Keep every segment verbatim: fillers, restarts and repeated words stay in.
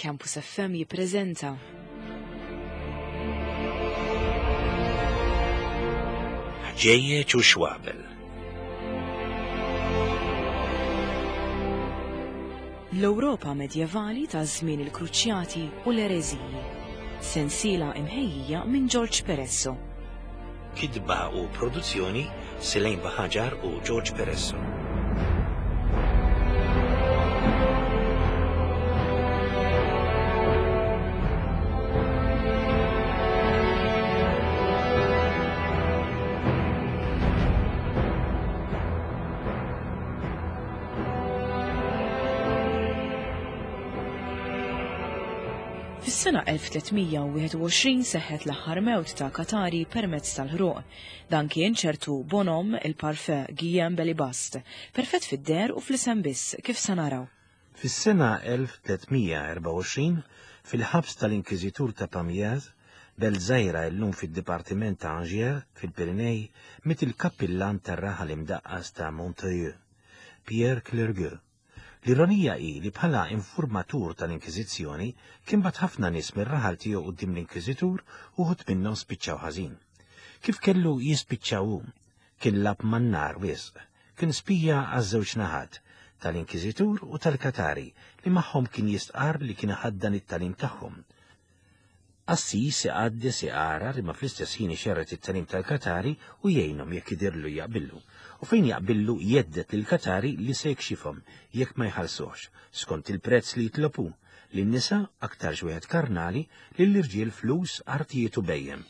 Campus F M jippreżenta Ħġejjeġ u Xwabel. L-Ewropa medjevali ta' żmien il-Kruċjati u l-Ereżiji. Sensiela imħejjija minn George Peresso. Kitba u produzzjoni Selene Baħaġar u George Peresso. Fis-sena elf tliet mija u wieħed u għoxrin seħħet l-aħħar mewt ta' Katari permezz tal-ħruq. Dan kien ċertu bonom il-parfè Guillaume Belibast, perfett fid-der u fl-isem biss, kif se naraw. Fis-sena elf tliet mija erbgħa u għoxrin, fil-ħabs tal-Inkwiżitur ta' Pamiers, belt żgħira llum fid-Dipartiment ta' Angers, fil-Pirinej, miet il-kappillan tar-raħal imdaqqas ta' Montreuil, Pierre Clergue. L-ironija hi li bħala informatur tal-Inkwiżizzjoni kien bat ħafna nies mir-raħal tiegħu quddiem l-Inkwiżitur u wħud minnhom spiċċaw ħażin. Kif kellu jispiċċaw hu? Kien lab man-nar wisq, kien spija għaż-żewġ naħat, tal-Inkwiżitur u tal-Katari li magħhom kien jistqarr li kien iħaddan it-tagħlim tagħhom. Assis iqaddes iqara li ma fl-istess ħin ixerret it-tagħlim tal-Katari u jgħinhom jekk idirlu jaqbillu. U fejn jaqbillu jeddet lill-Katari li se jkxifhom jekk ma jħallsuhx, skont il-prezz li jitlobu, lin-nisa aktar wieħed karnali, lill-irġiel flus, artijiet u bejjem,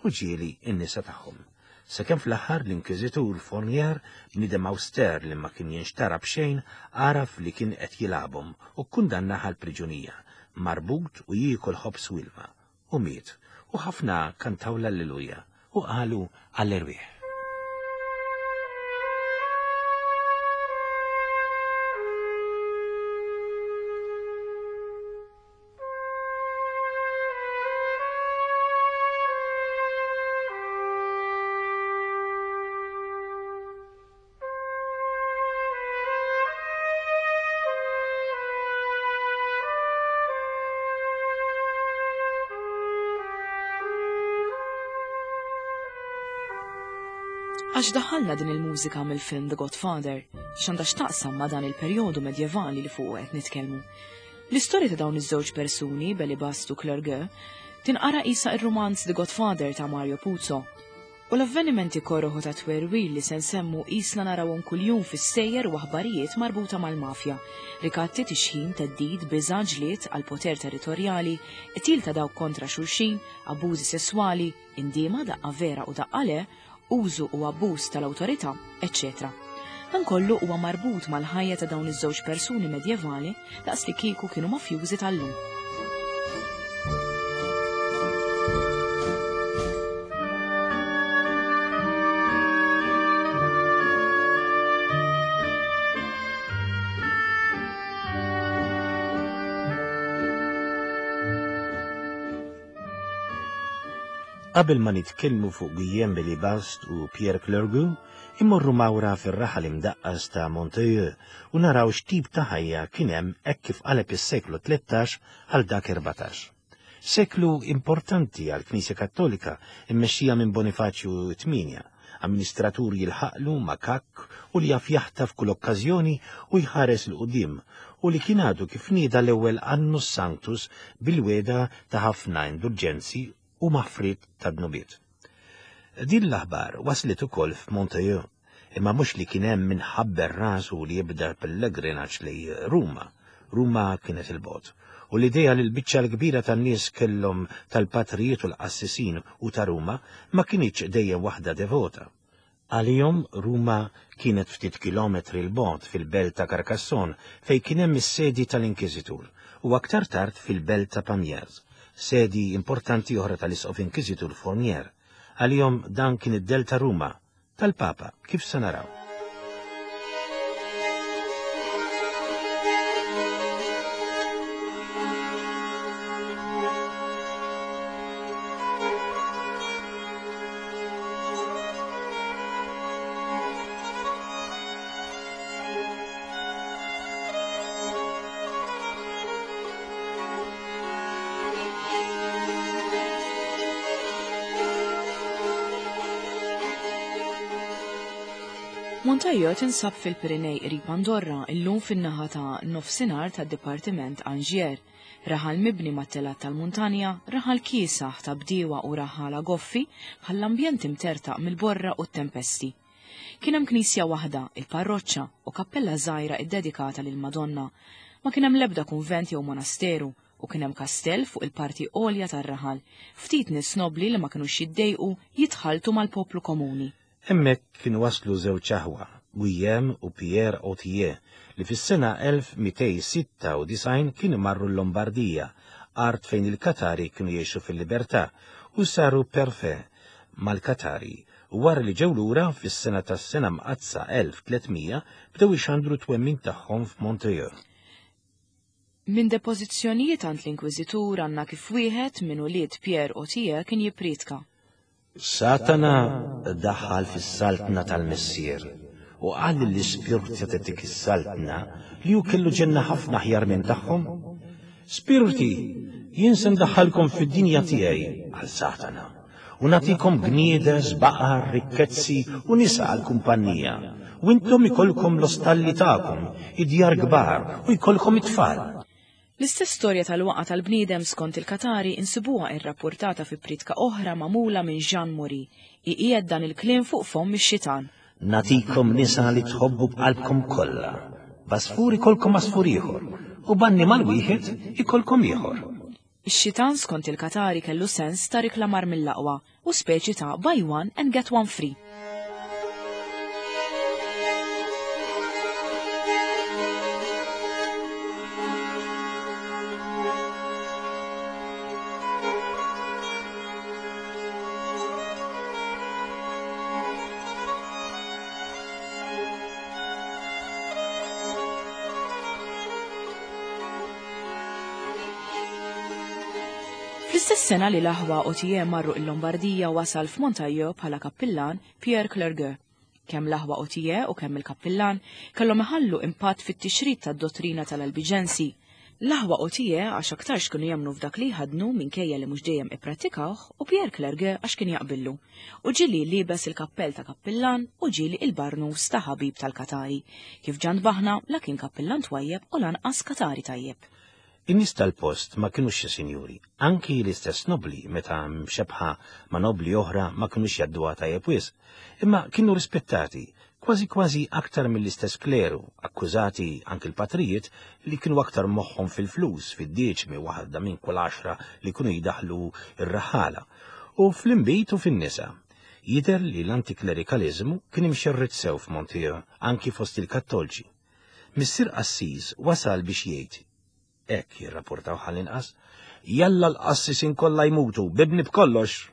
u ġieli n-nisa tagħhom. Sakemm fl-aħħar l-Inkwiżitur Fournier, bniedem awster li ma kien jinxtara b'xejn, għaraf li kien qed jilagħbhom u kkundannah għal priġunija, marbut u jiekol ħobż u ilma. U miet, u ħafna kantaw l-Alleluja u qalu għall-erwieħ. Għax daħalna din il-mużika mill-film The Godfather, x'għandha x'taqsam ma' dan il-perjodu medjevali li fuq qed nitkellmu. L-istorja ta' dawn iż-żewġ persuni, Belibast u Clergue, tinqara qisha ir-rumanz The Godfather ta' Mario Puzo. U l-avvenimenti korroħu ta' twerwil li se nsemmu qisna narawhom kuljum fis-sejjer u aħbarijiet marbuta mal-mafja. Rikatti, tixħim, theddid, biża', ġlied għal poter territorjali, qtil ta' dawk kontra xulxin, abbużi sesswali, indiema daqqa vera u daqqa le, użu u abbuż tal-awtorità, eċċetera. Dan kollu huwa marbut mal-ħajja ta' dawn iż-żewġ persuni medjevali daqs li kieku kienu mafjużi tal-lum. Qabel ma nitkellmu fuq Guillaume Belibast u Pierre Clergue, immorru mawra fir-raħal imdaqqas ta' Montreuil u naraw x'tip ta' ħajja kien hemm hekk kif qaleb is-seklu tlettax għal dak erbatax. Seklu importanti għall-Knisja Kattolika immexxija minn Bonifaċju tmienja, amministratur jilħaqlu makakk u li jaf jaħtaf kull okkażjoni u jħares 'l quddiem, u li kien għadu kif nieda l-ewwel Annus Sanctus bil-weda ta' ħafna indulġenzi u maħfrit ta' dnubiet. Din l-aħbar waslet ukoll f'Montreuil, imma mhux li kien hemm minħabber rasu li jibda pellegrinaġġ lej Ruma. Ruma kienet il-bogħod, u l-idea li l-biċċa l-kbira tan-nies kellhom tal-patrijiet u l-qassisin u ta' Ruma ma kinitx dejjem waħda devota. Għalihom Ruma kienet ftit kilometri l bogħod fil-belt ta' Carcassonne fejn kien hemm is-sedi tal-Inkwiżitur u aktar tard fil-belt ta' Pamiers, sedi importanti oħra tal-Isqof Inkwiżitur Fournier. Għalihom dan kien id-del ta' Ruma, tal-Papa, kif se naraw. Montaillou tinsab fil-Pirinej qrib Andorra, illum fin-naħa ta' nofsinhar tad-Dipartiment Angier. Raħal mibni mat-telat tal-muntanja, raħal kiesaħ ta' bdiewa u raħala goffi bħall-ambjent imtertaq mill-borra u t-tempesti. Kien hemm knisja waħda, il-parroċċa, u kappella żgħira iddedikata lil Madonna. Ma kien hemm l-ebda kunvent jew monasteru u kien hemm kastell fuq il-parti għolja tar-raħal. Ftit nies nobbli li ma kinux jiddejqu jitħalltu mal-poplu komuni. Hemmhekk kienu waslu żewġ aħwa, Guillaume u Pierre Autier, li fis-sena elf mitejn sitta u disgħin kienu marru l-Lombardija, art fejn il-Katari kienu jgħixu fil-libertà, u saru perfè mal-Katari. U wara li ġew lura fis-sena tas-sena mqaddsa elf tliet mija bdew ixandru twemmin tagħhom f'Montreuil. Minn depożizzjonijiet għand l-Inkwiżitur għandna kif wieħed minn ulied Pierre Autier kien jippriedka. Satana daħal fis-saltna tal-Missier u qal lill-ispirti ta' dik is-saltna li hu kellu ġenna ħafna aħjar minn tagħhom. Spirti, jien se ndaħħalkom fid-dinja tiegħi, għal Satana, u nagħtikom gniedes, baqar, rikkezzi u nisa għal kumpanija. U intom ikollkom l-ostalli tagħkom, id-djar kbar u jkollkom it-tfal. L-istess storja tal-waqa tal-bniedem skont il-Katari insibuha irrapportata fi pritka oħra magħmula minn Jean Maury. Iqiegħed dan il-kliem fuq fomm ix-xitan. Natikom nisa li tħobbu b'qalbkom kollha. B'għasfur ikollkom għasfur ieħor u b'annimal wieħed ikollkom ieħor. Ix-xitan skont il-Katari kellu sens ta' riklamar mill-aqwa u speċi ta' buy one and get one free. Fl-istess sena li l-aħwa Autier marru il-Lombardija wasal f'Montaillou bħala kappillan Pierre Clergueux. Kemm l-aħwa Autier u kemm il-kappillan kellhom iħallu impatt fit-tixrid tad-dottrina tal-Albiġensi. L-aħwa Autier għax aktarx kienu jemmnu f'dak li jħaddnu minkejja li mhux dejjem ipprattikawh u Pierre Clergueux għax kien jaqbillu. U ġieli libes il-kappell ta' kappillan u ġieli il-barnus ta' ħabib tal-Katari. Kif ġant baħna la kien kappillan twajjeb u lanqas Katari tajjeb. In-nies tal-post ma kinux xi sinjuri, anki l-istess nobli meta mxebħa ma' nobli oħra ma kinux jgħadduha tajjeb wisq, imma kienu rispettati, kważi kważi aktar mill-istess kleru, akkużati anki l-patrijiet li kienu aktar moħħhom fil-flus, fid-dieċmi waħda minn kull għaxra li kienu jidaħlu ir-raħala, u fl-inbid u fin-nisa. Jidher li l-antiklerikaliżmu kien imxerred sew f'Montreuil, anki fost il-Kattolċi. Missier Assis wasal biex jgħid, hekk jirrapportaw ħall-inqas, jalla l-qassisin kollha jmutu, bibni b'kollox.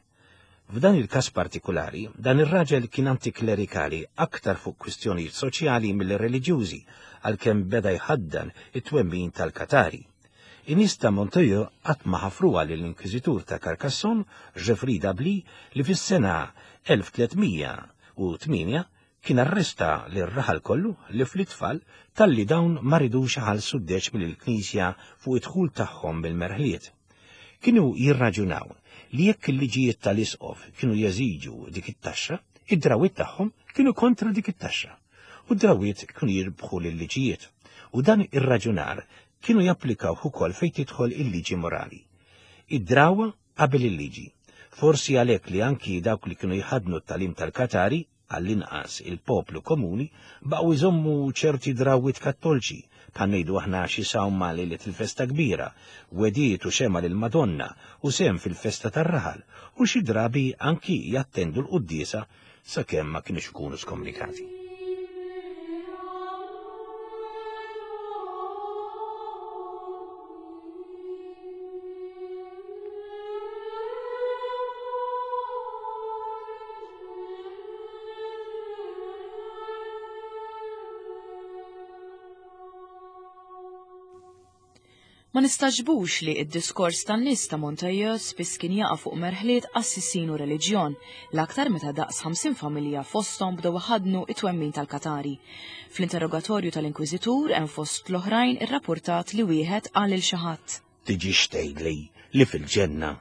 F'dan il-każ partikulari, dan ir-raġel kien antiklerikali aktar fuq kwistjonijiet soċjali mill-reliġjużi, għalkemm beda jħaddan it-twemmin tal-Katari. In-nies ta' Montreuil qatt ma ħafruha lill-Inkwiżitur ta' Carcassonne, Geoffrey d'Ably, li fis-sena elf tliet mija u tmienja kien arresta lir-raħal kollu li fl-itfal talli dawn ma ridux iħallsu d-deċmi lill-Knisja fuq id-dħul tagħhom bil-merħliet. Kienu jirraġunaw li jekk il-liġijiet tal-isqof kienu jeżiġu dik it-taxxa, id-drawiet tagħhom kienu kontra dik it-taxxa, u d-drawiet kienu jirbħu lill-liġijiet, u dan ir-raġunar kienu japplikaw ukoll fejn tidħol il-liġi morali. Id-drawa qabel il-liġi. Forsi għalhekk li anki dawk li kienu jħaddnu t-talim tal-Katari, għall-inqas il-poplu komuni, baqgħu jżommu ċerti drawiet kattolċi, bħal ngħidu aħna xi sawma lejlet il-festa kbira, wediet u xema lill-Madonna u sehem fil-festa tar-raħal, u xi drabi anki jattendu l-quddiesa sakemm ma kienux ikunu skomunikati. Ma nistaġbux li id-diskors tan-nies ta' Montaillou spiss kien jaqa' fuq merħliet qassisin u reliġjon, l-aktar meta daqs ħamsin familja fosthom bdew iħaddnu it-twemmin tal-Katari. Fl-interrogatorju tal-Inkwiżitur hemm fost l-oħrajn irrapportat li wieħed qal lil xi ħadd. Tiġix tgħidli li fil-ġenna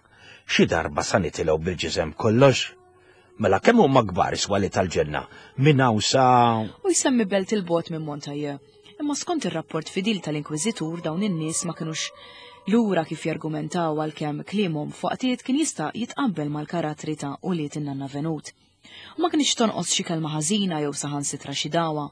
xi darba sa nitilgħu bil-ġisem kollox? Mela kemm huma kbar is-swali tal-ġenna minn hawn sa U jsemmi belt il-bogħod minn Montaje. Imma skont ir-rapport fidil tal-Inkwiżitur dawn in-nies ma kinux lura kif jargumentaw għalkemm kliemhom f'waqtiet kien jista' jitqabbel mal-karattri ta' ulied in-nanna Venut. U ma kienx tonqos xi kelma ħażina jew saħansitra xi dawa.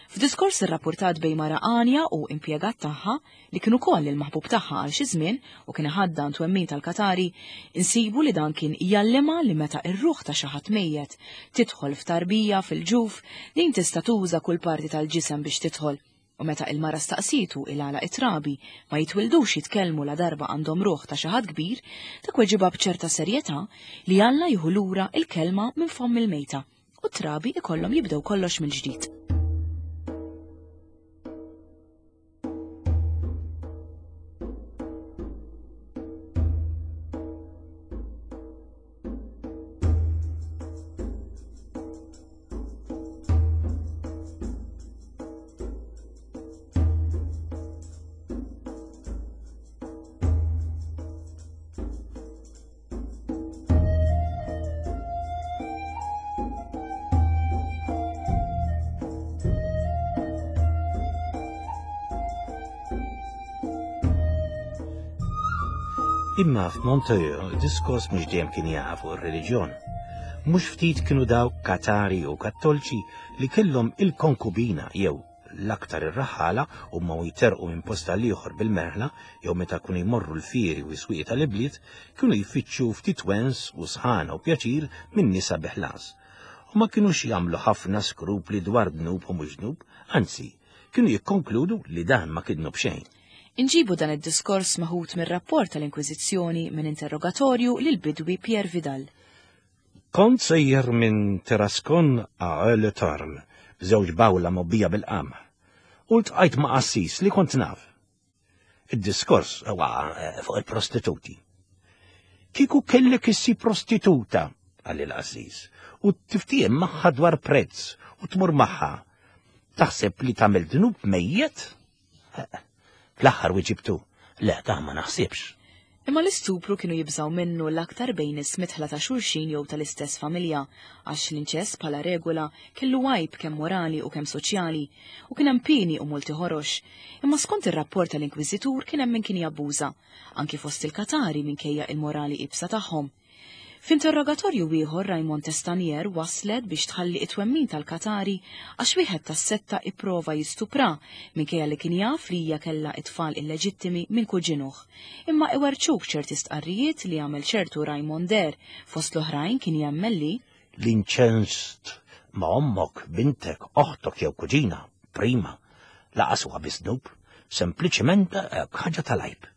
F'diskors irrapportat bejn mara għanja u impjegat tagħha li kien ukoll il-maħbub tagħha għal xi żmien u kien iħaddan twemmin tal-Katari, insibu li dan kien jgħallimha li meta r-ruħ ta' xi ħadd mejjet tidħol f'tarbija fil-ġuf, din tista' tuża kull parti tal-ġisem biex tidħol. U meta il-mara staqsitu il-għala it-trabi ma jitwildux jitkellmu la darba għandhom ruħ ta' xi ħadd kbir, dak weġibha b'ċerta serjetà li Alla jieħu lura il-kelma minn fomm il-mejta u t-trabi ikollhom jibdew kollox mill-ġdid. Imma f'Montojo diskors mhux dejjem kien jaqa' fuq ir-reliġjon. Mhux ftit kienu dawk Katari u Kattolċi li kellhom il-konkubina jew l-aktar ir-raħala u ma jterqu minn post għal ieħor bil-merħla jew meta kienu jmorru l-fieri u s-swieq tal-ibliet kienu jfittxu ftit wens u sħana u pjaċir minn nisa bi ħlas. U ma kinux jagħmlu ħafna skrupli dwar dnub u mhux dnub, anzi, kienu jikkonkludu li dan ma kien dnub xejn. Inġibu dan id-diskors meħud mir-rapport tal-Inkwiżizzjoni minn interrogatorju lil bidwi Pierre Vidal. Kont sejjer minn Tarascon għal Tarn, b'żewġ bawla mobbija bil-qamħ, u ltqajt ma' qassis li kont naf. Id-diskors huwa fuq il-prostituti. Kieku kellek issib prostituta, qal il-qassis, u tiftiem magħha dwar prezz u tmur magħha. Taħseb li tagħmel dnub mejjet? Fl-aħħar wieġibtu, le, ta' ma naħsibx. Imma l-istupru kienu jibżaw minnu l-aktar bejn is-mitħla ta' xulxin jew tal-istess familja, għax l-inċest bħala regola kellu għajb kemm morali u kemm soċjali, u kien hemm pieni u multi ħorox. Imma skont ir-rapport tal-Inkwiżitur kien hemm min kien jabbuża, anki fost il-Katari minkejja il-morali ibsa tagħhom. F'interrogatorju ieħor Raymond Testanier waslet biex tħalli it-twemmin tal-Katari għax wieħed tas-setta ipprova jistupra minkejja li kien jaf li hija kellha it-tfal illeġittimi minn kuġinuh. Imma iwerċuk ċerti stqarrijiet li għamel ċertu Raymond Der fost l-oħrajn kien jemmen li l-inċenst ma' ommok, bintek, oħtok jew kuġina, prima, laqas huwa biss dnub, sempliċement ħaġa tal-għajb.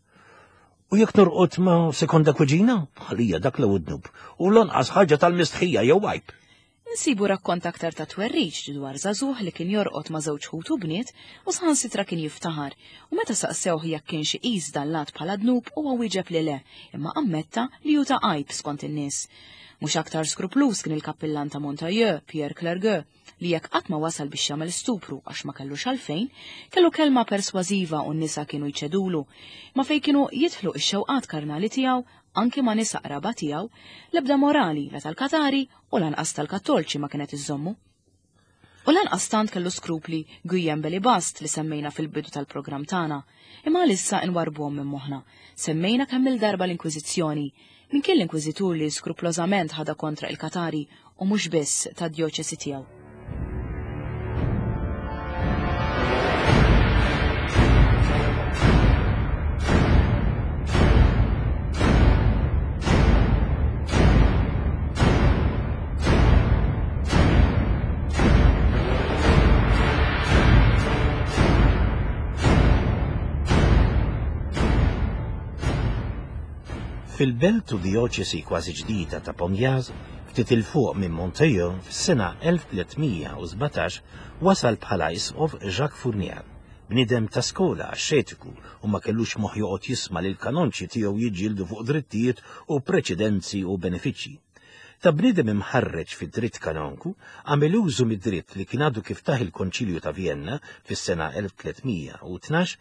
U jekk norqod ma' sekonda kuġina, ħalija dak l dnub, u lanqas ħaġa tal-mistħija jew għajb. Insibu rakkont aktar ta' twerriġ dwar żagħżugħ li kien jorqod ma' żewġ ħutu bniet u saħansitra kien jiftaħar, u meta saqsewh jekk kienx iqis dan l-att bħala dnub huwa wieġeb li le, imma ammetta li hu ta' għajb skont in-nies. Mhux aktar skruplus kien il-kappillan ta' Montailleux, Pierre Clergueux, li jekk qatt ma wasal biex jagħmel stupru għax ma kellux għalfejn, kellu kelma persważiva u n-nisa kienu jċedulu, ma fejn kienu jidħlu x-xewqat karnali tiegħu anki ma' nisa qraba tiegħu, l-ebda morali la tal-Katari u lanqas tal-Kattolċi ma kienet iżommu. U lanqas tant kellu skrupli Guillaume Belibast li semmejna fil-bidu tal-programm tagħna, imma għalissa nwarbuhom minn moħħna. Semmejna kemm il-darba l-Inkwiżizzjoni, minn kien l-Inkwiżitur li skruplosament ħada kontra il-Katari u mhux biss tad-djoċesi tiegħu. Fil-belt u dioċesi kważi ġdida ta' Pomjaz, ftit il fuq minn Montejo, fis-sena elf tliet mija u sbatax wasal bħala isqof Jacques Fournier, bniedem ta' skola axxetiku u ma kellux moħħ joqgħod jisma' lil kanonċi tiegħu jiġġieldu fuq drittijiet u preċedenzi u benefiċċji. Ta' bniedem imħarreġ fid-dritt kanonku, għamel użu mid-dritt li kien għadu kif taħ il-Konċilju ta' Vienna fis-sena elf tliet mija u tnax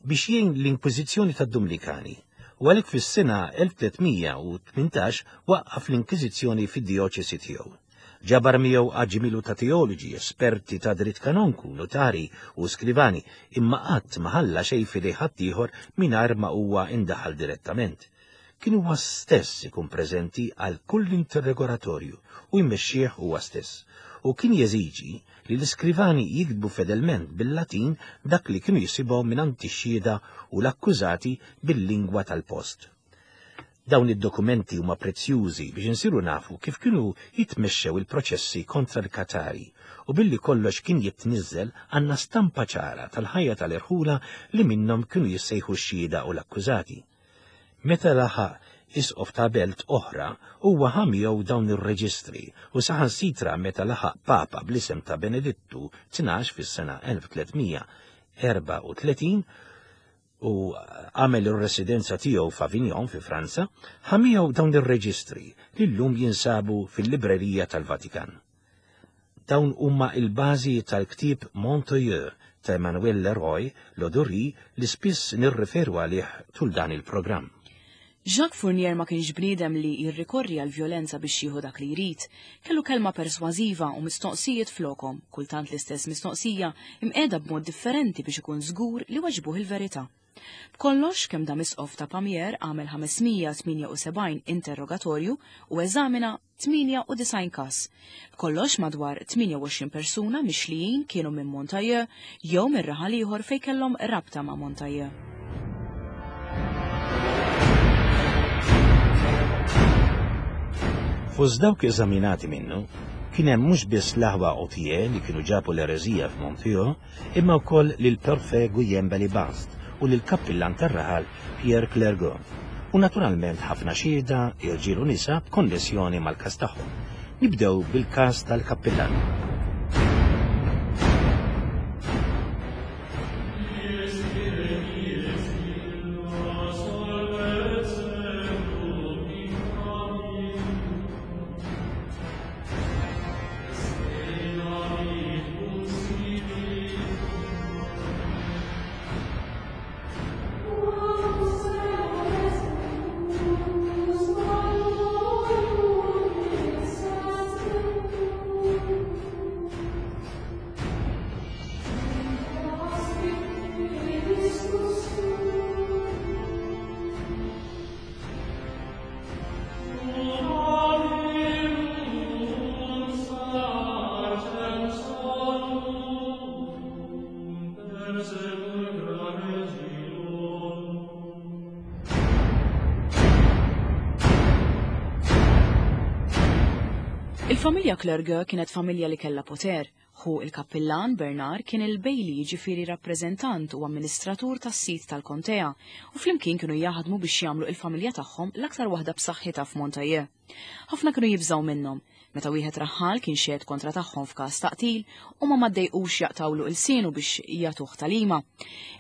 biex jgħin l-Inkwiżizzjoni tad-Dumnikani. U għalhekk fis-sena elf tliet mija u tmintax waqqaf l-Inkwiżizzjoni fid-dioċesi tiegħu. Ġabar miegħu aġmilu ta' teoloġi, esperti ta' dritt kanonku, notari u skrivani, imma qatt ma ħalla xejn f'idej ħaddieħor mingħajr ma huwa indaħal direttament. Kien huwa stess ikun preżenti għal kull interrogatorju u jmexxih huwa stess, u kien jeżiġi li l-iskrivani jiktbu fedelment bil-Latin dak li kienu jisibgħu mingħand ix-xhieda u l-akkużati bil-lingwa tal-post. Dawn id-dokumenti huma prezzjużi biex insiru nafu kif kienu jitmexxew il-proċessi kontra l-Katari, u billi kollox kien jitniżżel għandna stampa ċara tal-ħajja tal-irħula li minnhom kienu jissejħu x-xhieda u l-akkużati. Meta laħaq isqof ta' belt oħra, huwa ħa miegħu dawn ir-reġistri u saħansitra meta laħaq papa bl-isem ta' Benedittu tnax fis-sena elf tliet mija erbgħa u tletin u għamel ir-residenza tiegħu f'Avignon fi Franza, ħa miegħu dawn ir-reġistri li llum jinsabu fil-librerija tal-Vatikan. Dawn huma il-bażi tal-ktieb Montoyeur ta' Emmanuel Leroy Lodori li spiss nirreferu għalih tul dan il-programm. Jacques Fournier ma kienx bniedem li jirrikorri għal violenza biex jieħu dak li jrid. Kellu kelma persważiva u mistoqsijiet flokom, kultant l-istess mistoqsija imqiegħda b'mod differenti biex ikun żgur li waġbuh il-verità. B'kollox kemm dam isqof ta' Pamiers għamel ħames mija tmienja u sebgħin interrogatorju u eżamina tmienja u disgħin każ. B'kollox madwar tmienja u għoxrin persuna mixlijin kienu minn Montailleux jew minn raħal ieħor fejn kellhom rabta ma' Montailleux. Fost dawk eżaminati minnu, kien hemm mhux biss l-aħwa Autier li kienu ġabu l-ereżija f'Montoyeur, imma wkoll lil Perfè Guillaume Belibast u lil kappillan tar-raħal Pierre Clergot, u naturalment ħafna xhieda, irġiel u nisa b'konnessjoni mal-każ tagħhom. Nibdew bil-każ tal-kappillan. Il-familja Clergueux kienet familja li kellha poter. Hu il-kappillan Bernard kien il-bejli, jiġifieri rappreżentant u amministratur tas-sit tal-kontea, u flimkien kienu jaħdmu biex jagħmlu il-familja tagħhom l-aktar waħda b'saħħitha f'Montailleux. Ħafna kienu jibżgħu minnhom. Meta wieħed raħħal kien xehed kontra tagħhom f'każ ta' qtil, u ma maddejqux jaqtawlu ilsienu biex jagħtuh talima.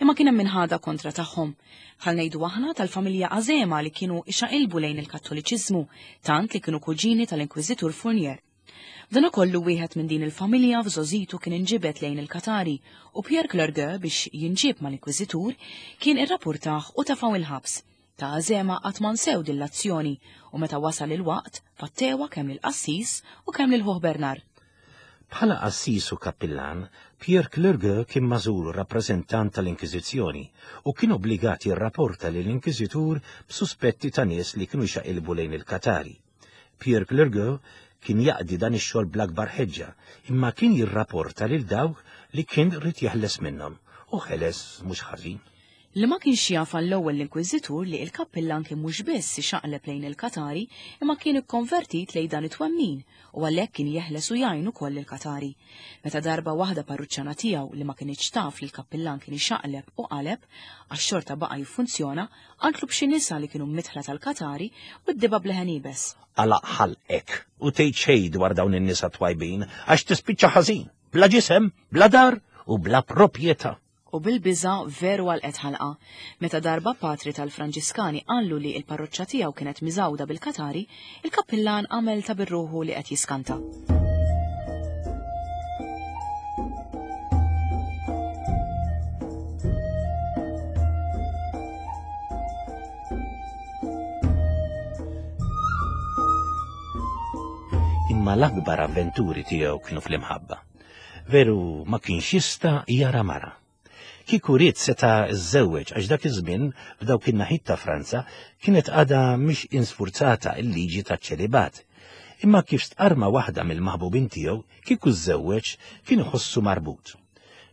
Imma kien hemm minħada kontra tagħhom. Bħal ngħidu aħna tal-familja Azema li kienu ixaqilbu lejn il-Kattoliċiżmu, tant li kienu kuġini tal-Inkwiżitur Fournier. F'dan ukollu wieħed minn din il-familja f'żożitu kien inġibed lejn il-Katari u Pierre Clergueux biex jinġib mal-Inkwiżitur kien irrapportah u tafaw il-ħabs. Ta' Azema qatt ma nsew din l-azzjoni u meta wasal il-waqt fattewa kemm lill-qassis u kemm lil ħuh Bernard. Bħala qassis u kappillan, Pierre Clergueux kien magħżul rappreżentant tal-Inkwiżizzjoni u kien obbligat jirrapporta lill-Inkwiżitur b'suspetti ta' nies li kienu jxaqilbu lejn il-Katari. Pierre Clergueux kien jaqdi dan ix-xogħol bl-akbar ħeġġa, imma kien jirrapporta lil dawk li kien rid jeħles minnhom u ħeles mhux ħażin. Li ma kienx jaf għall-ewwel l-Inkwiżitur li l-kappillan kien mhux biss ixaqleb lejn il-Katari, imma kien ikkonvertit lejn dan it-twemmin u għalhekk kien jeħles u jgħin ukoll il-Katari. Meta darba waħda parruċċana tiegħu li ma kinitx taf li l-kappillan kien ixaqleb u qaleb, għax xorta baqa' jiffunzjona, qaltlu b'xi nisa li kienu mitħla tal-Katari u d-diba bleħen iebes. Għalaq ħalqek u tgħid xejn dwar dawn in-nisa twajbin għax tispiċċa ħażin, bla ġisem, bla dar u bla proprjetà. U bil-biża veru għalqet ħalqa. Meta darba patri tal-Franġiskani qallu li l-parroċċa tiegħu kienet miżgħuda bil-Katari, il-kappillan għamel ta' birruħu li qed jiskanta. Imma l-akbar avventuri tiegħu kienu fl-imħabba. Veru ma kienx jista' jara mara. Kieku ried seta' żżewweġ għax dak iż-żmien f'dawk in-naħiet ta' Franza kienet għadha mhix insfurzata l-liġi taċ-ċelibat. Imma kif stqarma waħda mill-maħbubin tiegħu, kieku żżewweġ kien iħossu marbut.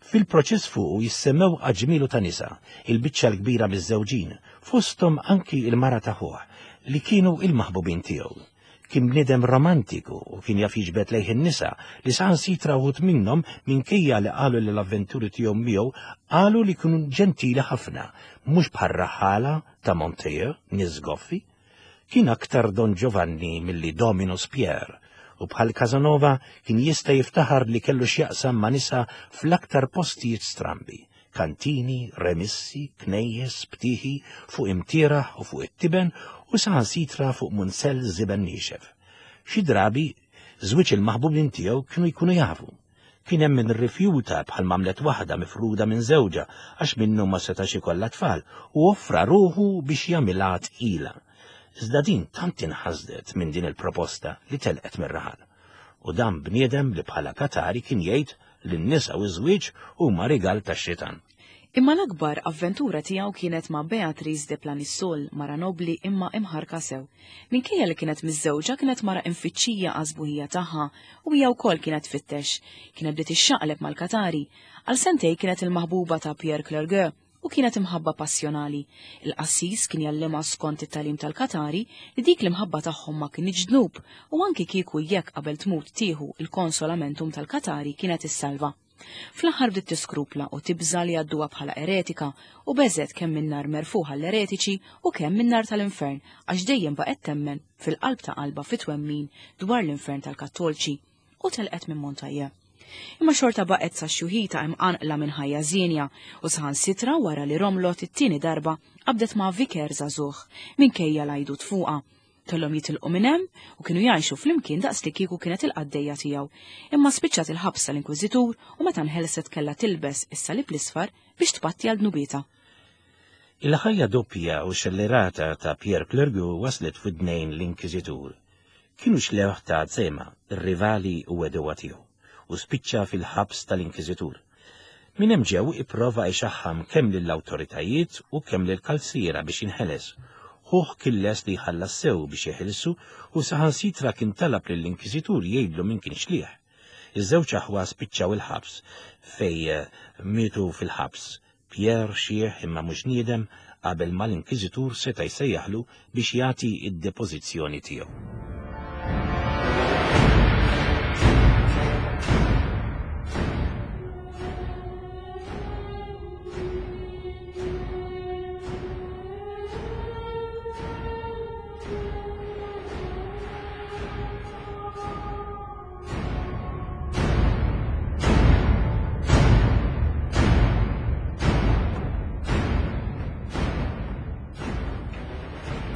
Fil-proċess fuqu jissemmew aġmilu ta' nisa, il-biċċa l-kbira miż-żewġin, fosthom anki il-mara ta' ħuh, li kienu il-maħbubin tiegħu. Kien bniedem romantiku u kien jaf jiġbed lejh in-nisa li saħansitra wħud minnhom minkejja li qalu li l-avventuri tiegħu miegħu qalu li kienu ġentili ħafna, mhux bħal raħala ta' Montejo, nies goffi. Kien aktar Don Giovanni milli Dominus Pierre u bħal Casanova kien jista' jiftaħar li kellu x'jaqsam ma' nisa fl-aktar postijiet strambi, kantini, remissi, knejjes, btiħi, fuq imtieraħ u fuq it-tiben u saħansitra fuq munsell żiben niexef. Xi drabi żwieġ il-maħbubin tiegħu kienu jkunu jafu. Kien hemm min rrifjuta bħal mamlet waħda mifruda minn żewġha għax minnu ma setax ikollha tfal u offra ruħu biex jagħmilha tqila. Iżda din tant inħasdet minn din il-proposta li telqet mir-raħal. U dan bniedem li bħala Katari kien jgħid li n-nisa u ż-żwieġ huma rigal tax-xitan. Imma l-akbar avventura tiegħu kienet ma' Beatrice de Planisol, mara nobli imma imħarka sew. Minkejja li kienet miżżewġa kienet mara infittxija għażbuħija tagħha u hija wkoll kienet tfittex. Kienet bdiet ixxaqleb mal-Katari. Għal sentej kienet il-maħbuba ta' Pierre Clergueux u kienet imħabba passjonali. Il-qassis kien jallima skont it-tagħlim tal-Katari li dik l-imħabba tagħhom ma kienx dnub u anki kieku jekk qabel tmut tieħu il-konsolamentum tal-Katari kienet issalva. Fl-aħħar bdiet tiskrupla u tibża li għadduha bħala eretika u beżet kemm min-nar merfuħa l-eretiċi u kemm min-nar tal-infern għax dejjem baqgħet temmen fil-qalb ta' qalba fit-twemmin dwar l-infern tal-Kattolċi u telqet minn Montajja. Imma xorta baqgħet sa xjuħita imqanqla minn ħajja żienja u saħansitra wara li romlot it-tieni darba qabdet ma' viker żagħżugħ minkejja l-għajdut fuqha. Kellhom jitilqu minn hemm u kienu jgħixu flimkien daqs li kieku kienet il-qaddejja tiegħu. Imma spiċċat il-ħabs tal-Inkwiżitur u meta nħelset kellha tilbes is-salib l-isfar biex tpatti għal dnubietha. Il-ħajja doppja u xellerata ta' Pierre Clergueux waslet f'idnejn l-Inkwiżitur. Kienu xlewħ ta' Zema, ir-rivali u għedewwa tiegħu, u spiċċa fil-ħabs tal-Inkwiżitur. Min hemm ġew ipprova jxaħħam kemm lill-awtoritajiet u kemm lill-kalsiera biex jinħeles. Ħuh kien les li jħallas sew biex jeħilsu u saħansitra kien talab lill-Inkwiżitur jgħidlu min kien xlieħ. Iż-żewġ aħwa spiċċaw il-ħabs fej mietu fil-ħabs. Pierre xieħ imma mhux niedem qabel ma l-Inkwiżitur seta' jsejjaħlu biex jagħti id-depożizzjoni tiegħu.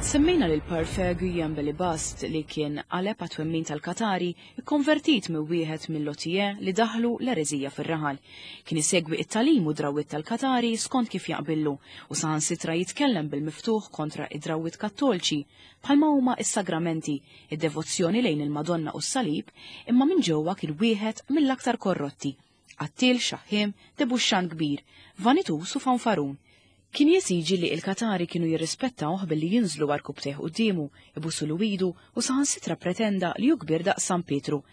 Semmejna lil Parfait Guillaume Belibast li kien qaleb għat-twemmin tal-Katari ikkonvertit minn wieħed mill-Lotier li daħlu l-ereżija fir-raħal. Kien isegwi it-talim u drawwiet tal-Katari skont kif jaqbillu u saħansitra jitkellem bil-miftuħ kontra id-drawwiet kattolċi bħalma huma is-sagramenti, id-devozzjoni lejn il-Madonna u s-Salib, imma minn ġewwa kien wieħed mill-aktar korrotti. Qattil, xaħħiem, debuxxan kbir, vanitus u fanfarun. Kien jesiġi li il-Katari kienu jirrispettawh billi jinżlu għarkubtejh quddiemu, ibusulu idu u saħansitra pretenda li hu kbir daqs San Pietru.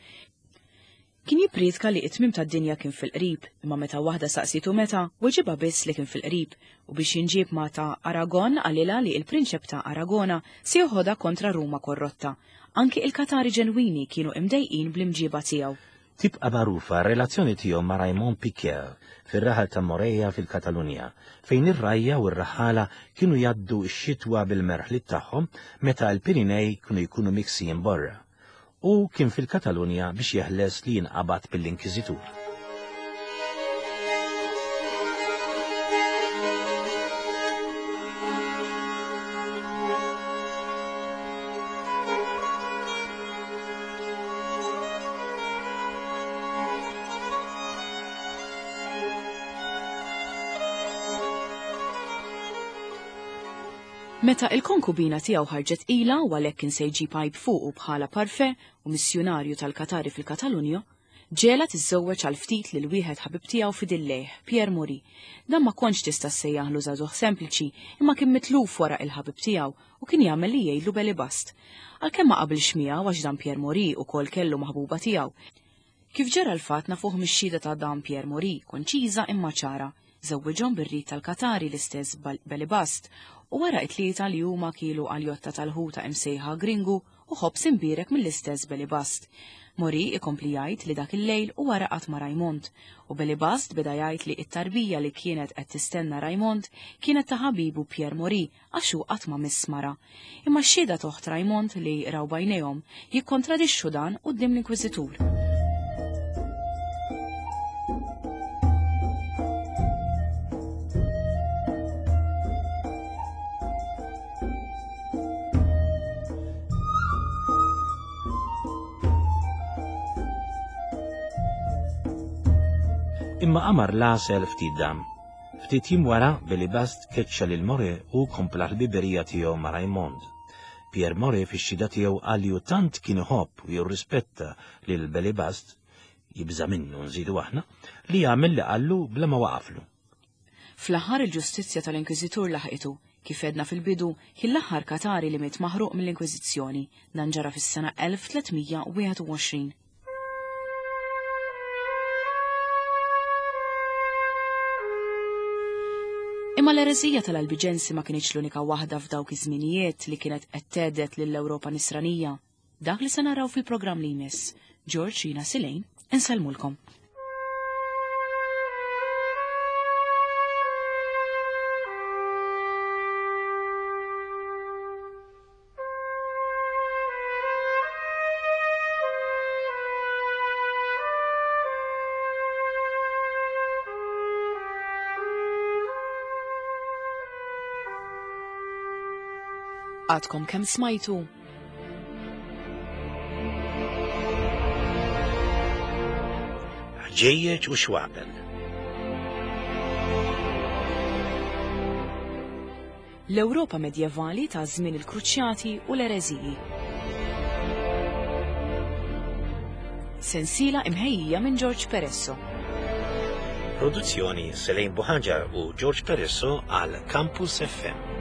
Kien jippriedka li it-tmiem tad-dinja kien fil-qrib, imma meta waħda saqsitu meta, weġibha biss li kien fil-qrib u biex jinġieb ma' ta' Aragon qalilha li il-prinċep ta' Aragona se joħodha kontra Ruma korrotta. Anki il-Katari ġenwini kienu imdejqin bl-imġiba tiegħu. Tibqa' magħrufa r-relazzjoni tiegħu ma' Raymond Piquer fir-raħal ta' Moreja fil-Katalunja, fejn ir-rajja u r-raħala kienu jgħaddu x-xitwa bil-merħliet tagħhom meta l-Pirinej kienu jkunu miksijin borra. U kien fil-Katalunja biex jeħles li jinqabad mill-Inkwiżitur. Meta il-konkubina tiegħu ħarġet ila u għalhekk kien se jġib għajb fuqu bħala parfe u missjunarju tal-Katari fil-Katalunja, ġela tiżżewweġ għal ftit lil wieħed ħabib tiegħu fidillejh, Pierre Mori. Dan ma kontx tista' ssejjaħlu żagħżugħ sempliċi, imma kien mitluf wara il-ħabib tiegħu u kien jagħmel li jgħidlu Belibast. Għalkemm ma qabilx miegħu għax dan Pierre Mori ukoll kellu maħbuba tiegħu. Kif ġara l-fatt nafuh mix-xhieda ta' dan Pierre Mori, konċiża imma ċara, żewwiġhom bir-rit tal-Katari l-istess Belibast u wara it-tlieta li huma kielu għaljotta tal-ħuta imsejħa Gringu u ħobs imbierek mill-istess Belibast. Mori ikompli jgħid li dak il-lejl u wara qatt ma' Raymond, u Belibast beda jgħid li t-tarbija li kienet qed tistenna Raymond kienet ta' ħabibu Pierre Mori għax hu qatt ma miss mara. Imma x-xhieda toħt Raymond li raw bajnejhom jikkontradixxu dan quddiem l-Inkwiżitur. Imma qamar l-għasel ftit dam. Ftit jiem wara Belibast keċċa lil Mori u kompla l-biberija tiegħu ma' Raymond. Pierre Mori fix-xhieda tiegħu qal li hu tant kien iħobb u jirrispetta lil Belibast, jibża' minnu nżidu aħna, li jagħmel li qallu bla ma waqaflu. Fl-aħħar il-ġustizzja tal-Inkwiżitur laħqitu, kif edna fil-bidu, kien l-aħħar Katari li miet maħruq mill-Inkwiżizzjoni, dan ġara fis-sena elf tliet mija wieħed u għoxrin. Imma l-ereżija tal-Albiġensi ma kienx l-unika waħda f'dawk iż-żminijiet li kienet qed tgħedet lill-Ewropa Nisranija. Dak li se naraw fil-programm li jmiss. George, Rina, Silejn, insellmulkom. Għadkom kemm smajtu? Ħġejjeġ u xwabel. L-Ewropa medjevali ta' żmien il-Kruċjati u l-ereżiji. Sensiela imħejjija minn George Peresso. Produzzjoni Selene Buhaġar u George Peresso għal Campus F M.